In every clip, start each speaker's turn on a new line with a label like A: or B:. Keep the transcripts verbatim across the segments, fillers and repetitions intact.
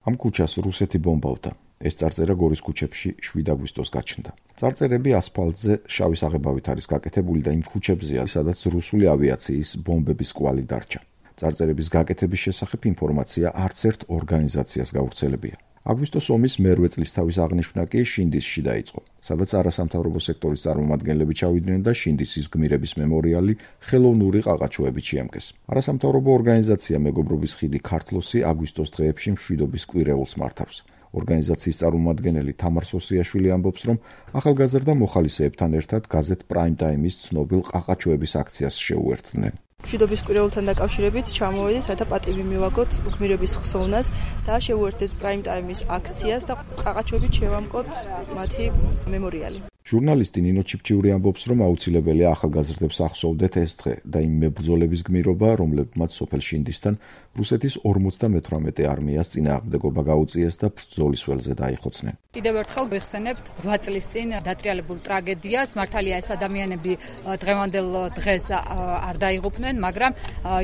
A: ამ ქუჩას რუსეთი ბომბავდა. ეს წარწერა გორის ქუჩებში შვიდ აგვისტოს გაჩნდა. წარწერები ასფალტზე შავი საღებავით არის გაკეთებული და იმ ქუჩებზეა, სადაც რუსული ავიაციის ბომბების კვალი დარჩა. წარწერების გაკეთების შესახებ ინფორმაცია არც ერთ ორგანიზაციას გავრცელებია. აგვისტოს ომის მერვე წლისთავის აღნიშვნა კი შინდისში დაიწყო, სადაც არასამთავრობო სექტორის წარმომადგენლები ჩავიდნენ და შინდისის გმირების მემორიალი ხელოვნური ყაყაჩოებით შეამკეს. არასამთავრობო ორგანიზაცია მეგობრობის ხიდი ქართლოსი აგვისტოს დღეებში მშვიდობის კვირეულს მართავს. ორგანიზაციის წარმომადგენელი თამარ სოსიაშვილი ამბობს, რომ ახალგაზრდა მოხალისეებთან ერთად გაზეთ პრაიმ ტაიმის ცნობილ ყაყაჩოების აქციას შეუერთდნენ.
B: მშვიდობის კვირეულთან დაკავშირებით ჩამოვედით, რათა პატივი მივაგოთ გმირების ხსოვნას და შევუერთდეთ პრაიმ ტაიმის აქციას და ყაყაჩოებით შევამკოთ მათი მემორიალი. ჟურნალისტი ნინო ჩიფჩიური ამბობს, რომ აუცილებელია ახალგაზრდებს ახსოვდეთ ეს დღე და იმ მებრძოლების გმირობა, რომლებმაც სოფელ შინდისთან რუსეთის ორმოცდამეთვრამეტე არმიას წინააღმდეგობა გაუწიეს და ბრძოლის ველზე დაიხოცნენ.
C: კიდევ ერთხელ ვიხსენებთ რვა წლის წინ დატრიალებულ ტრაგედიას. მართალია ეს ადამიანები დღევანდელ დღეს არ დაიღუპნენ, მაგრამ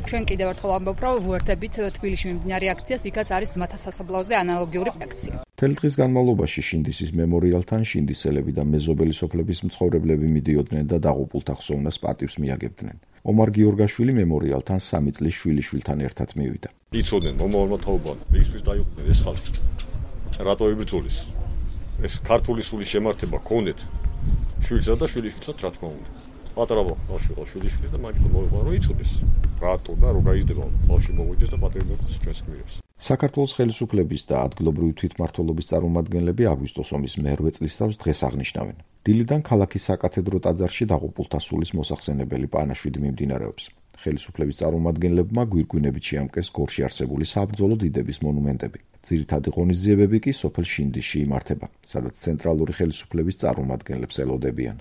C: ჩვენ კიდევ ერთხელ ვამბობ, რომ ვუერთდებით თბილისში მიმდინარე აქციას, იქაც არის მათასასაბლაოზე ანალოგიური აქცია.
A: მთელი დღის განმავლობაში შინდისის მემორიალთან შინდისელები და მეზობელი სოფლების მცხოვრებლები მიდიოდნენ და დაღუპულთა ხსოვნას პატივს მიაგებდნენ. ომარ გიორგაშვილი მემორიალთან სამი წლის შვილიშვილთან ერთად მივიდა.
D: იცოდნენ მომავალმა თაობამ, რისთვის დაიღუპნენ ეს ხალხი. რატო იბრძოლის? ეს ქართული სულის შემართება ქონდეთ შვილსა და შვილიშვილსაც რა თქმა უნდა. პატარა ბავშვი ყო შვილიშვილი და მაგით მოიყვანა რომ იცოდეს. რატო და რო გაიზრდება ბავშვი მოვიდეს და პატივი მოგოს ჩვენს გმირებს.
A: საქართველოს ხელისუფლების და ადგილობრივი თვითმმართველობის წარმომადგენლები აგვისტოს ომის მერვე წლისთავს დღეს აღნიშნავენ. დილიდან ქალაქის საკათედრო ტაძარში დაღუპულთა სულის მოსახსენებელი პანაშვიდი მიმდინარეობს. ხელისუფლების წარმომადგენლებმა გვირგვინებით შეამკეს გორში არსებული საბრძოლო დიდების მონუმენტები. ძირითადი ღონისძიებები კი სოფელ შინდისში იმართება, სადაც ცენტრალური ხელისუფლების წარმომადგენლებს ელოდებიან.